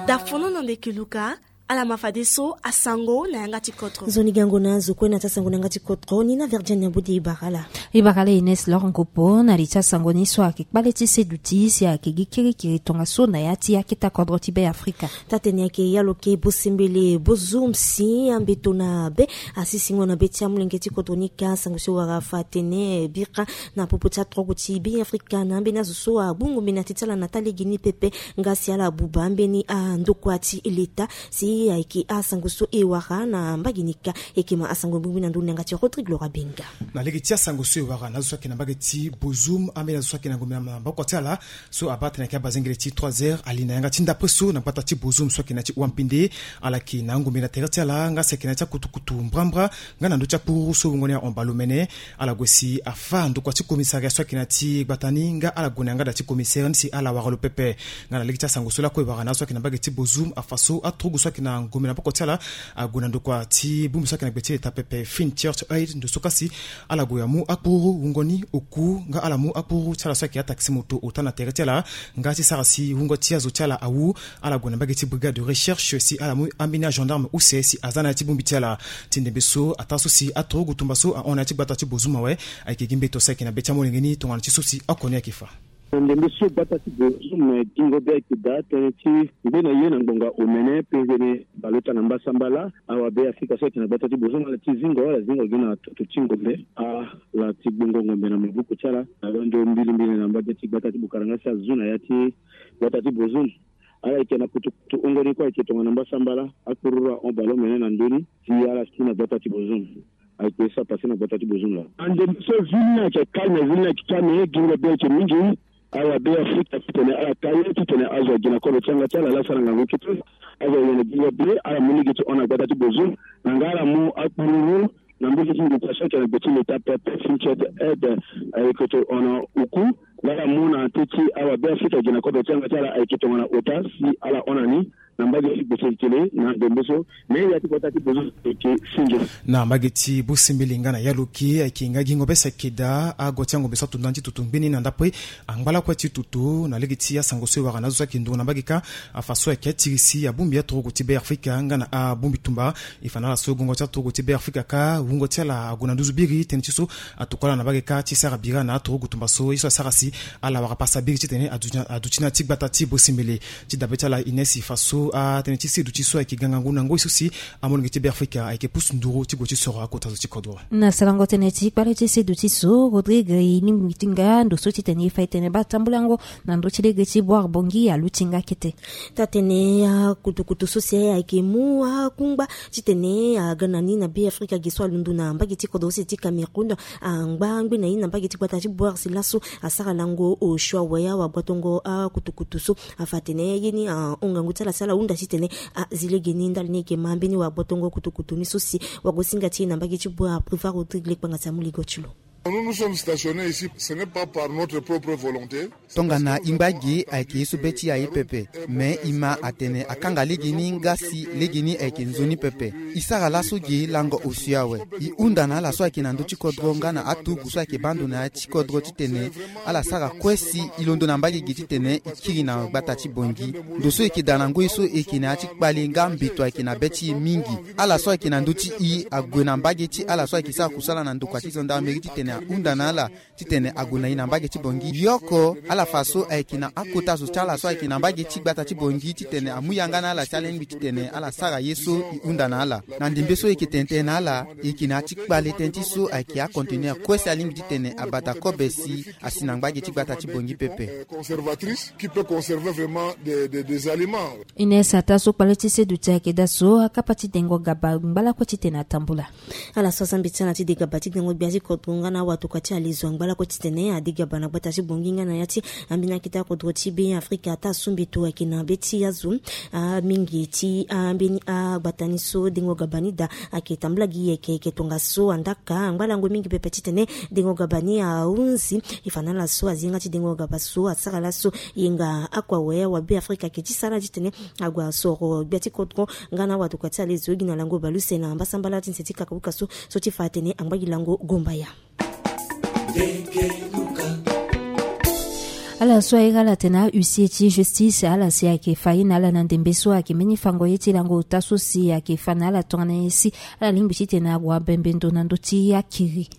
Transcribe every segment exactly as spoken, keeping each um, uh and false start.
Dafono na ndeke luka. Ala ma fadeso asango na yanga ti kotro. Nzoni gango na azo kue na ti asango na yanga ti kotro ni na Virginia Budi Ibarala. Ibarala Ines Lor Ngopo na li ti asango ni so ayeke kpale ti seduti si ayeke gi kirikiri tongaso na ya ti aketa kodro ti Be Afrika. Taa-tene ayeke ya lo ke bosembele bozumsi ambeto na be asisingo na be ti amolenge ti kodro ni ka asango so e wara afa atene bira na popo ti atrogo ti Be Afrika na ambeni azo so agbungu mbi na ti ti ala na taa lege ni pepe. Nga si ala buba ambeni andokua ti leta si ayeke asango so e wara na mbage ni ka. Eke ma asango ngbingbi na ndoni na yanga ti Rodrigue Laura Benga. Na lege ti asango so e wara na azo so ayeke na mbage ti Bozoum, ambeni azo so ayeke na ngombe na maboko ti ala so abaa tene ayeke abazengele ti trois heures ali na yanga ti ndapre so na gbata ti Bozoum so ayeke na ti Wampinde. Ala yeke na angombe na tere ti ala nga si ayeke na ya ti akutukutu mbrambra nga na ndö ti akpururu so wungo ni ahon bale omene. Ala gue si afa ndokua ti commissariat so ayeke na ti gbata ni nga ala gue na yanga da ti commissaire ni si ala wara lo pepe. Nga na lege ti asango so lakue e wara na azo so ayeke na mbage ti Bozoum afa so aturugu so ayeke na ngombe na boko ti ala ague na ndokua ti bongbi so ayeke na gbe ti leta pepe Fine Church Aid ndo so kasi ala gue amu akpururu wungo ni oku nga ala mu akpururu ti ala so ayeke ataxi moto ota na tere ti ala. Nga ti sara si wungo ti azo ti ala awu, ala gue na mbage ti brigade de recherche si ala mu ambeni agendarme use si aza na ya ti bongbi ti ala. Ti ndembe so ataa so si aturugu tumba so ahon na ya ti gbata ti Bozoum awe. Ayeke gi mbeto so ayeke na be ti amolenge ni tongana ti so si oko ni ayeke fa. Na ndembe so gbata ti Bozoum gingo be ayeke daa tënë ti ngbene ye na ngbonga omene penzene baleota na mbasambala. Awa Be Afrika so ayeke na gbata ti Bozoum ala ti zingo ala zingo gi na toto ti ngombe ala ti gbongo ngombe na maboko ti ala na londo mbilimbili na mbage ti gbata ti Bukaranga si azu na ya ti gbata ti Bozoum. Ala yeke na kutukutu wungo ni kue ayeke tongana mbasambala akpururu ahon bale omene na ndö ni si ala si na gbata ti Bozoum. Ayeke so apase na gbata ti Bozoum laa. Ande so zi ni ayeke calme, zi ni ayeke calme, gingo be ayeke mingi. Awa Be Afrika titene ala ka ye titene azo agi na kodro ti yanga ti ala laa asara ngangu kete. Azo ayeke na gingo be ala mu lege ti hon na gbata ti Bozoum na nga ala mu akpururu na mbage ti ndokua so ayeke na gbe ti leta pepe Fine Church Aid. Ayeke to hon na oku nga ala mu na teti awa Be Afrika agi na kodro ti yanga ti ala ayeke tongana ota si ala hon na ni na mbage ti gbese ti tene na ndembe so. Me ya ti kota ti Bozoum ayeke singe. Na mbage ti Bosembele nga na Yaloke ayeke nga gingo be si ayeke daa ago ti angombe so ato ndani ti toto ngbeni na ndapre angba lakue ti toto na lege ti asango so e wara na azo so ayeke nduru na mbage ka. Afa so ayeke atiri si abongbi aturugu ti Be Afrika nga na abongbi tumba. E fa na ala so gongo ti aturugu ti Be Afrika ka wungo ti ala ague na nduzu biri tënë ti so atokua ala na mbage ka ti sara bira na aturugu tumba so ye so asara si ala wara pasa biri titene aduti na ti gbata ti Bosembele. Ti dabe ti ala Ines e fa so atënë ti seduti so ayeke gangangu na ngoi so si amolenge ti Be Afrika ayeke pusu nduru ti gue ti soro akota zo ti kodro. Na sarango tënë ti kpale ti seduti so Rodrigue e lingbi ti nga ndo so titene e fa e tene baa tambulango na ndö ti lege ti Boire Bongi aluti nga kete. Taa-tene akutukutu so si ayeke mu akungba titene aga na ni na Be Afrika ge so alondo na mbage ti kodro use ti Cameroun angba ngbene ye na mbage ti gbata ti Boire si laso asara lango osio awe awagbotongo akutukutu so. Afa atene ye ni ahon ngangu ti ala si ala hunda titene azi lege ni ndali ni ayeke ma mbeni wagbotongo kutukutu ni so si wagosinga ti e na mbage ti Boire Prévost Rodrigue Lekpanga si amu ligo ti lo. Nous nous sommes stationnés ici, ce n'est pas par notre propre volonté. Tongana e ngba gi ayeke ye so be ti e aye pepe. Me e ma atene akanga lege ni nga si lege ni ayeke nzoni pepe. E sara laso gi lango osio awe. E hunda na ala so ayeke na ndö ti kodro nga na aturugu so ayeke baa ndo na ya ti kodro titene ala sara kue si e londo na mbage gi titene e kiri na gbata ti Bongi. Ndo so e yeke daa na ngoi so e yeke na ya ti kpale nga mbeto ayeke na be ti e mingi. Ala so ayeke na ndö ti e ague na mbage ti ala so ayeke sara kusala na ndokua ti gendarmerie titene ahunda na ala titene ague na e na mbage ti Bongi. Yoko ala fa so ayeke na akota zo ti ala so ayeke na mbage ti gbata ti Bongi titene amu yanga na ala si alingbi titene ala sara ye so e hunda na ala. Na ndembe so e yeke tene tënë na ala e yeke na ya ti kpale tënë ti so ayeke aconteneur kue si alingbi titene abata kobe si asi na mbage ti gbata ti Bongi pepe. Conservatrice qui peut conserver vraiment des, des, des aliments. Ines ataa so kpale ti seduti ayeke daa so akapa ti dengo gaba ngba lakue titene atambula. Ala so aza mbi ti ala ti degaba ti dengo gbia ti kodro nga na awatokua ti alezo angba lakue titene adegaba na gbata ti Bongi nga na ya ti ambeni akete akodro ti Be Afrika ataa so mbi to ayeke na be ti azo. Amingi ti ambeni agbata ni so dengo gaba ni daa ayeke tambula gi yeke yeke tongaso andaka angba lango mingi pepe titene dengo gaba ni ahunzi. E fa na ala so azi yanga ti dengo gaba so asara laso yenga akua awe awa Be Afrika ayeke ti sara titene ague asoro gbia ti kodro nga na awatokua ti alezo gi na lango baleuse na mbasambala ti nze ti kakauka so so ti fa atene angba gi lango gombaya. Ala so aye ala tena huissier ti justice ala si ayeke fa ye na ala na ndembe so ayeke mbeni fango ye ti lango ota so si ayeke fa na ala tongana ye si ala lingbi titene ague abembe ndo na ndö ti akiri.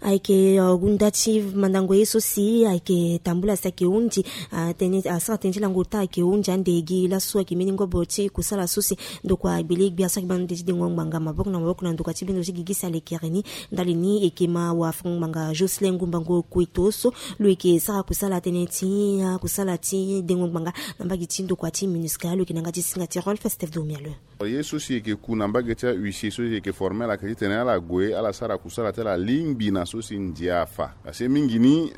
Ayeke nda ti mandango ye so si ayeke tambula si ayeke hunzi atene asara tënë ti lango ota ayeke hunzi ande gi laso ayeke mbeni ngobo ti kusala so si ndokua agbele gbia so ayeke baa na ndö ti dengo ngbanga maboko na maboko na ndokua ti bindo ti gigi si alekere ni. Ndali ni eke ma wafango ngbanga Jocelyn Ngumbango Kueto so lo eke sara kusala tënë ti kusala ti dengo ngbanga na mbage ti ndokua ti MINUSCA lo eke na yanga ti singa ti Rolf Steve Domialo. Ye so si eke ku na mbage ti ahuissier so si eke formel ayeke titene ala gue ala sara kusala ti ala lingbi na so si ndia afa. Asi mingi ni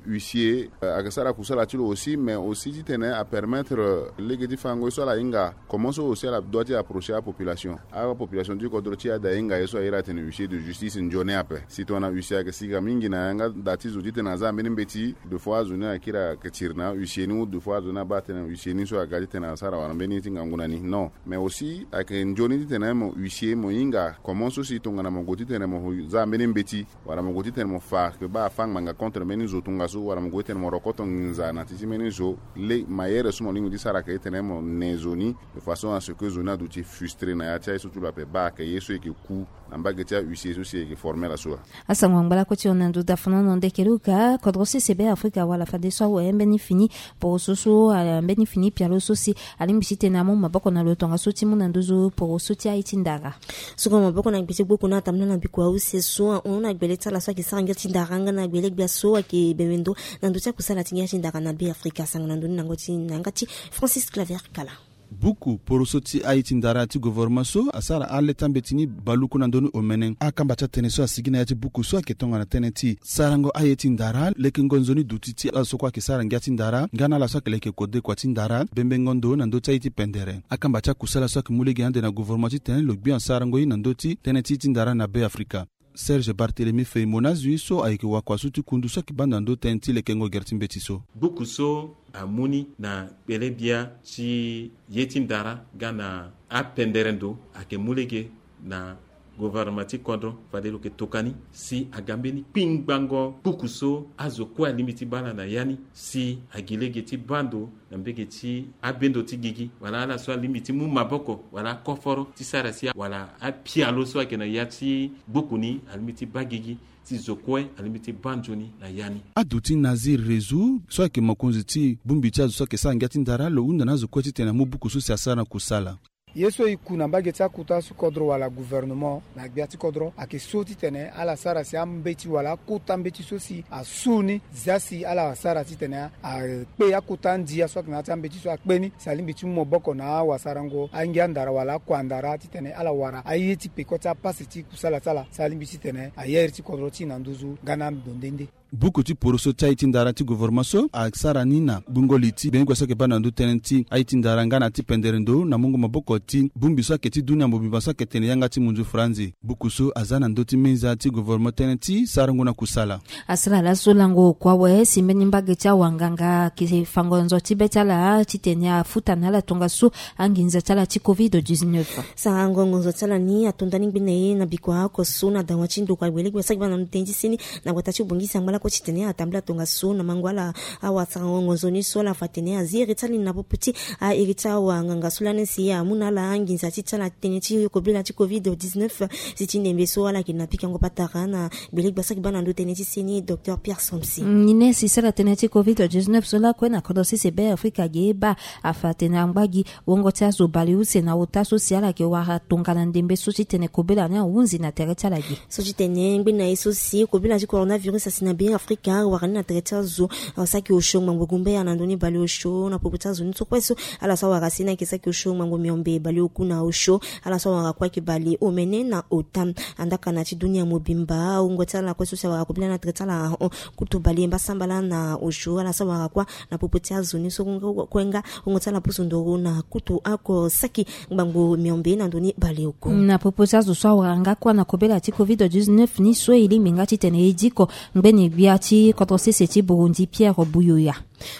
huissier ayeke sara kusala ti lo aussi mais aussi titene apermettre lege ti fango ye so ala hinga comment so aussi ala doit ti approcher apopulation. Apopulation ti kodro ti e ade ahinga ye so aye ala tene huissier de justice nzoni ape si tongana huissier ayeke sika mingi na yanga da ti zo titene aza mbeni mbeti. De fois azo ni ayeke kiri ayeke tiri na ahuissier ni ou de fois azo ni abaa atene huissier ni so aga titene asara wala mbeni ye ti ngangu na ni non. Mais aussi ayeke nzoni titene mo huissier mo hinga comment so si tongana mo gue titene mo za mbeni mbeti wala mo gue titene mo fa ayeke baa afa ngbanga contre mbeni zo tongaso wala mo gue titene mo rokoto nginza na ti ti mbeni zo. Le mayere so mo lingbi ti sara ayeke titene mo ne zo ni de façon à ce que zo ni aduti frustrer na ya ti aye so ti lo ape baa ayeke ye so eke ku na mbage ti ahuissier so si eke formel aso. Asango angba lakue ti hon na ndo dafana na ndeke luka kodro sese be afrika wala fadeso awe mbeni fini poroso so mbeni fini pialo so si alingbi titene amu maboko na lo tongaso ti mu na nduzu poroso ti aye ti ndara. Soko maboko na gbe ti gbuku na atambula na biko ause so ahon na gbele ti ala so ayeke sara ngia ti ndara nga na gbele gbia so ayeke bembe ndo na ndo ti akusala ti ngia ti ndara na be afrika asango na ndo ni na ngo ti na yanga ti Francis Claver Kala. Buku poroso ti aye ti ndara ti govoroma so asara ale ti ambeti ni baluku na ndoni omene akamba ti atene so asigi na ya ti buku so ayeke tongana tënë ti sarango aye ti ndara lekengo nzoni duti ti ala so kue ayeke sara ngia ti ndara nga na ala so ayeke leke kodekua ti ndara bembengo ndo na ndö ti aye ti pendere akamba ti akusala so ayeke mu lege ande na govoroma titene lo gbi asarango ye na ndö ti tënë ti ye ti ndara na be afrika. Serge Barthélemy Feuille Monazu ye so ayeke wakua so ti kundu so ayeke banda ndo tënë ti lekengo gere ti mbeti so. Buku so amu ni na kpele bia ti ye ti ndara nga na apendere ndo ayeke mu lege na governement ti kodro fade lo yeke tokua ni si aga mbeni kpingbango buku so azo kue alingbi ti baa ala na ya ni si agi lege ti baa ndo na mbege ti abendo ti gigi wala ala so alingbi ti mu maboko wala akoforo ti sara si wala apialo so ayeke na ya ti buku ni alingbi ti baa gigi si zo kue alingbi ti baa nzoni na ya ni. Aduti Nazir Rezu so ayeke mokonzi ti bongbi ti azo so ayeke sara ngia ti ndara lo hunda na azo kue titene amu buku so si asara na kusala. Ye so e ku na mbage ti akota so kodro wala gouvernement na gbia ti kodro ayeke so titene ala sara si ambeti wala akota mbeti so si asu ni zia si ala sara titene akpe akota andia so ayeke na ya ti ambeti so akpe ni si alingbi ti mu maboko na awasarango angia ndara wala akua ndara titene ala wara aye ti peko ti apasi ti kusala ti ala si alingbi titene aye iri ti kodro ti e na nduzu nga na ando nde nde. Buku ti poroso ti aye ti ndara ti govoroma so asara ni na gbungo li ti gbenyogbia so ayeke baa na ndö tënë ti aye ti ndara nga na ti pendere ndo na mungo maboko ti bongbi so ayeke ti dunia mobimba so ayeke tene yanga ti munzu franzi. Buku so aza na ndö ti menza ti govoroma tënë ti sarango na kusala. Asara laso lango kua awe si mbeni mbage ti awanganga ayeke fango nzo ti be ti ala titene afuta na ala tongaso anginza ti ala ti covid dix-neuf. Sarango ngonzo ti ala ni atonda ni ngbene ye na bikua oko so na dawa ti ndokua gbele gbia so ayeke baa na ndö tënë ti seni na gbata ti bongisi angba lakue titene atambula tongaso na mango ala awasarango ngonzo ni so ala fa tene azi iri ti ala ni na popo ti airi ti awanganga so lani si amu na ala anginza ti ti ala tënë ti kobela ti covid dix-neuf. Si ti ndembe so ala yeke na pikango patara na gbele gbia so ayeke baa na ndö tënë ti seni docteur Pierre Somsi. Ni ne si sara tënë ti covid dix-neuf so lakue na kodro sese be afrika ge baa afa tene angba gi wongo ti azo baleuse na ota so si ala yeke wara tongana ndembe so titene kobela ni ahunzi na tere ti ala ge. So titene ngbene na ye so si kobela ti coronavirus asi na be afrika wara ni na tere ti azo saki osio ngbangbo gumbaya na ndoni baleosio na popo ti azo ni so kue so ala so awara si ni ayeke saki osio ngbangbo miombe baleoku na osio ala so awara kue ayeke baleomene na ota. Andaka na ti dunia mobimba wungo ti ala kue so si awara kobela na tere ti ala ahon kutu bale mbasambala na osio ala so awara kue na popo ti azo ni so kue nga wungo ti ala pusu ndoro na kutu oko saki ngbangbo miombe na ndoni baleoku. Na popo ti azo so awara nga kue na kobela ti covid dix-neuf ni so e lingbi nga titene e diko ngbeni Gbia ti kodro sese ti Burundi Pierre Buyoya.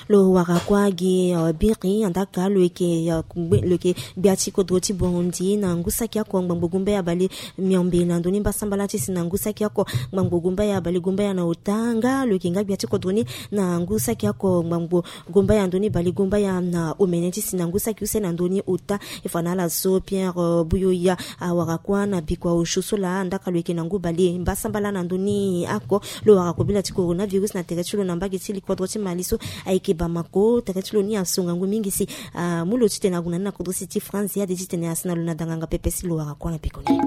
Lo wara kuâ gi biri andaka lo yeke gbia ti kodro ti Burundi na ngu saki oko ngbangbo gumbaya bale miombe na ndoni mbasambala ti si na ngu saki oko ngbangbo gumbaya bale gumbaya na ota nga lo yeke nga gbia ti kodro ni na ngu saki oko ngbangbo gumbaya ndoni bale gumbaya na omene ti si na ngu saki use na ndoni ota. E fa na ala so Pierre Buyoya awara kuâ na bikua osio so laa ndaka lo yeke na ngu bale mbasambala na ndoni ako. Lo wara kobela ti coronavirus na tere ti lo na mbage ti li kodro ti Mali so ayeke Bamako. Tere ti lo ni aso ngangu mingi si amu lo titene ague na ni na kodro sese ti France ya de titene asi na lo na danganga pepe si lo wara kuâ na peko ni.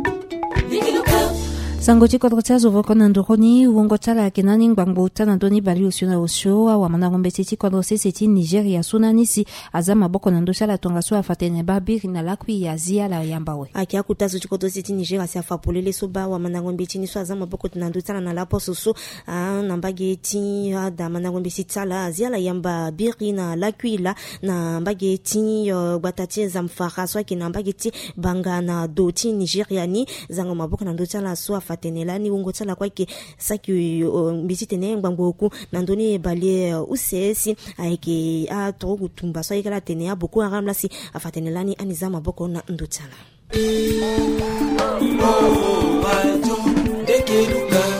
Sango ti kodro ti azo voko na nduru ni wungo ti ala ayeke na ni ngbangbo ota na ndö ni bale osio na osio awamandango mbeti ti kodro sese ti Nigeria so na ni si aza maboko na ndö ti ala tongaso afa tene baa biri na lakui azi ala yamba awe. Ayeke akota zo ti kodro sese ti Nigeria si afa polele so baa awamandango mbeti ni so aza maboko na ndö ti ala na laposo so na mbage ti ada mandango mbeti ti ala azi ala yamba biri na lakui laa na mbage ti gbata ti Zamfara so ayeke na mbage ti Banga na do ti Nigeria ni. Zango maboko na ndö ti ala so afa tene lani wungo ti ala kue ayeke saki mbi titene ngbangbo oku na ndö ni bale use si ayeke aturugu tumba so ayeke ala tene aBoko Haram laa si afa tene lani ani za maboko na ndö ti ala.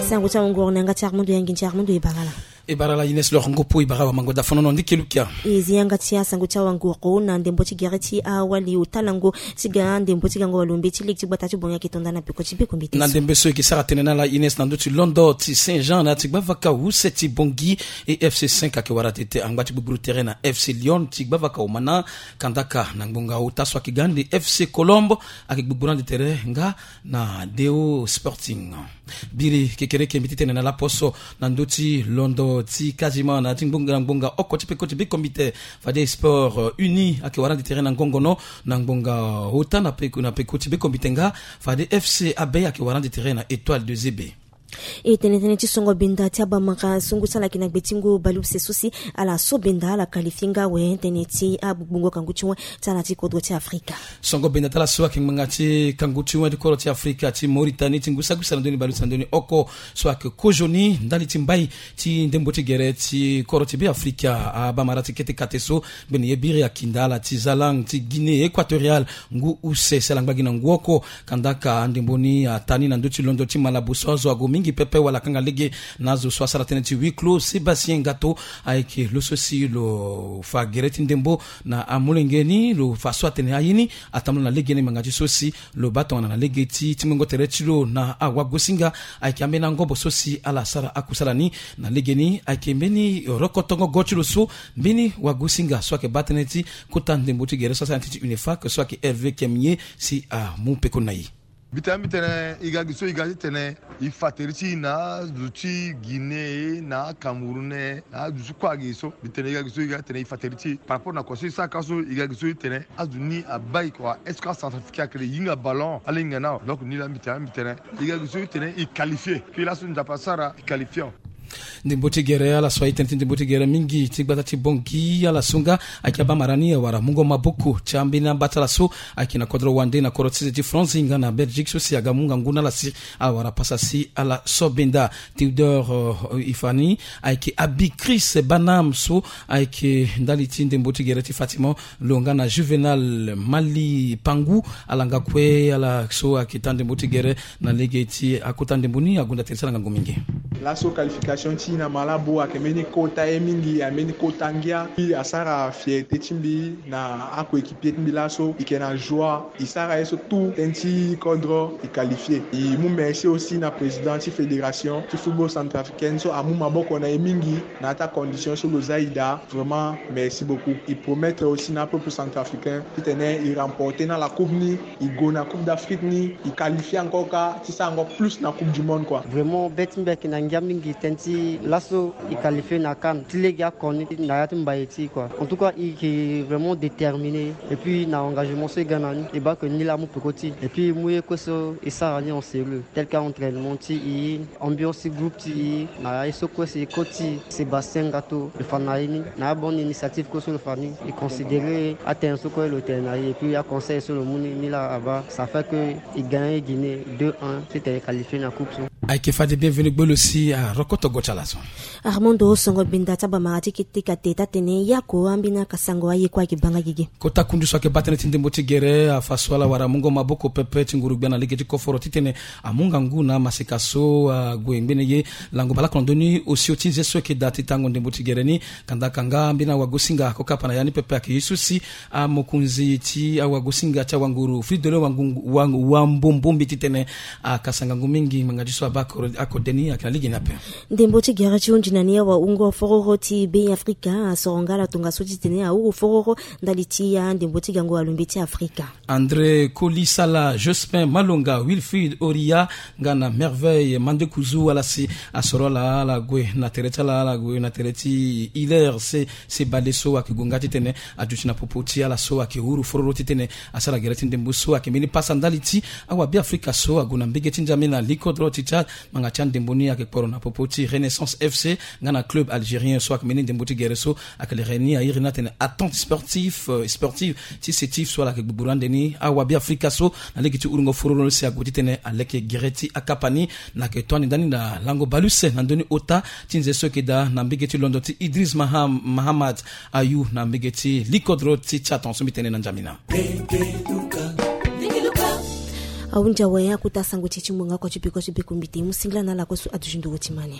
Sango ti awanguru na yanga ti Armando Yangi nti Armando e bara ala. E bara ala Ines Lor Ngopo e bara awamango dafonono ndiki lukia. E zi yanga ti asango ti awanguru na ndembo ti gere ti awali ota lango ti ga ndembo ti gango walo mbeti lege ti gbata ti Bangui ayeke tonda na peko ti beko mbeti na ndembe so e yeke sara tene na ala Ines na ndö ti londo ti Saint Jean na ya ti gbavaka use ti Bangui. E FC cinq ayeke wara tete angba ti gbugburu tere na FC Lyon ti gbavaka omana. Kandaka na ngbonga ota so ayeke ga ande FC Colombe ayeke gbugburu ande tere nga na Deo Sporting. Biri kekereke mbi ti tene na laposo na ndö ti londo ti kazima na ya ti ngbonga na ngbonga oko ti peko ti beko mbeti. Fade Sport Uni ayeke wara ande tere na ngongono na ngbonga ota na peko na peko ti beko mbeti nga fade FC Abei ayeke wara ande tere na Etoile de Zebe. E tene tënë ti songo benda ti abamara sungu ti ala ayeke na gbe ti ngu baleuse so si ala so benda ala qualifie nga awe tënë ti agbugbungo kangu ti wen ti ala ti kodro ti Afrika. Songo benda ti ala so ayeke ngbanga ti kangu ti wen ti kodro ti Afrika ti Mauritanie ti ngu sagu sara ndoni baleuse na ndoni oko so ayeke kozoni ndali ti mbai ti ndembo ti gere ti kodro ti Beafrika abamara ti kete kate so. Mbeni ye biri akinda ala ti zalang ti Guinée Équatoriale ngu use si ala ngba gi na ngu oko. Kandaka andembo ni ata ni na ndö ti londo ti Malabo so azo ague mingi pepe wala akanga lege na azo so asara tënë ti huis clos. Sébastien Ngato ayeke lo so si lo fa gere ti ndembo na amolenge ni lo fa so atene aye ni atambula na lege ni ngbanga ti so si lo baa tongana na lege ti ti ngongo tere ti lo na awagosinga. Ayeke ambeni angobo so si ala sara akusala ni na lege ni ayeke mbeni rokotongo go ti lo so mbeni wagosinga so ayeke baa tënë ti kota ndembo ti gere so asara na ya ti UNEFAC so ayeke Hervé Kemie si amu peko na e. Mbi tene mbi tene e ga gi so e ga titene e fa tere ti e na azo ti Guinée na Cameroun na azo so kue agi so mbi tene e ga gi so e ga titene e fa tere ti e par rapport na kua so e sara ka so e ga gi so e tene azo ni abai kua est-ce que acentrafricain ayeke le hinga ballon ala hinga na awe. Donc ni laa mbi tene mbi tene e ga gi so e tene e qualifie puis laso Nzapa asara e qualifie awe. Ndembo ti gere ala so aye tënë ti ndembo ti gere mingi ti gbata ti Bangui ala so nga ayeke abamara ni awara mungo maboko ti ambeni aba ti ala so ayeke na kodro wande na kodro ti sese ti France nga na Belgique so si aga mu ngangu na ala si awara pasa si ala so benda. Théodore e fa ni ayeke abi Chris Banam so ayeke ndali ti ndembo ti gere ti Fatima lo nga na Juvenal Mali Pangu. Ala nga kue ala so ayeke taa ndembo ti gere na lege ti akota ndembo ni agonda tene ti ala ngangu mingi. Laso qualification ti e na Malabo ayeke mbeni kota ye mingi ayeke mbeni kota ngia. Puis asara fierté ti mbi na acoéquipier ti mbi laso e yeke na joie. E sara ye so tout tënë ti kodro e qualifie. E mu merci aussi na président ti fédération ti football centrafricaine so amu maboko na e mingi na ya ti acondition so lo za e daa. Vraiment merci beaucoup. E promettre aussi na apeuple centrafricain titene e remporter na la coupe ni. E gue na coupe d'Afrique ni e qualifie encore kâ ti sara encore plus na coupe du monde kua. Vraiment be ti mbi ayeke na ngia mingi tënë ti laso e qualifie na CAN ti lege oko ni na ya ti mbaye ti e kua. En tout cas e yeke vraiment déterminé et puis na engagement so e ga na ni e baa ke ni laa amu peko ti e et puis e mu ye kue so e sara ni en sérieux tel que entraînement ti e, ambiance ti groupe ti e na ye so kue si e koti Sébastien Ngato lo fa na e ni na abonne initiative kue so lo fa ni e considéré atene so kue lo tene na e et puis aconseil so lo mu ni ni laa abaa ça fait que e gagné Guinée deux un titene e qualifie na coupe so. Ayeke fade bienvenu gbe lo si arokoto Ti ala so. Armando Songo Binda ti abamara ti kete kate taa-tene yako ambeni akasango aye kue ayeke banga gigi. Kota kundu so ayeke baa tënë ti ndembo ti gere afa so ala wara amungo maboko pepe ti nguru gbia na lege ti koforo titene amu ngangu na amaseka so ague ngbene ye. Lango baleoko na ndö ni osio ti nze so ayeke daa ti tango ndembo ti gere ni. Kanda kanga ambeni awagosinga akokapa na ya ni pepe ayeke ye so si amokonzi ti awagosinga ti awanguru Fridolin Wangu- Wangu- Wambombombi titene akasa ngangu mingi ngbanga ti so abaa akode ni ayeke na lege ni ape. Ndembo ti gere ti hunzi na ni awa wungo fororo ti Be Afrika asoro nga ala tongaso titene ahuru fororo ndali ti ya ndembo ti gango alumbe ti Afrika. André Kolisala, Jospin Malonga, Wilfried Oria nga na Merveille Mandekuzu ala si asoro ala ala gue na tere ti ala ala gue na tere ti Hilaire se se bale so ayeke gue nga titene aduti na popo ti ala so ayeke huru fororo titene asara gere ti ndembo so ayeke mbeni pasa ndali ti awabe Afrika so ague na mbege ti Njamena likodro ti Tchad. Ngbanga ti andembo ni ayeke kporo na popo ti Renaissance F C nga na club algérien so ayeke mbeni ndembo ti gere so. Ayeke lere ni airi ni atene attente sportif sportive ti setif so ala yeke gbugburu ande ni awabe Afrika so na lege ti urungo fororo si ague titene aleke gere ti akapa ni. Na yeke to ande ndani na lango baleuse na ndö ni ota ti nze so ayeke daa na mbege ti londo ti Idris Maham Mahamat Ayu na mbege ti likodro ti Tchad tongaso mbi tene na Njamena. Ahunzi awe akota sango ti e ti ngbonga oko ti peko ti peko mbi te mu singila na ala kue so aduti nduru ti mani.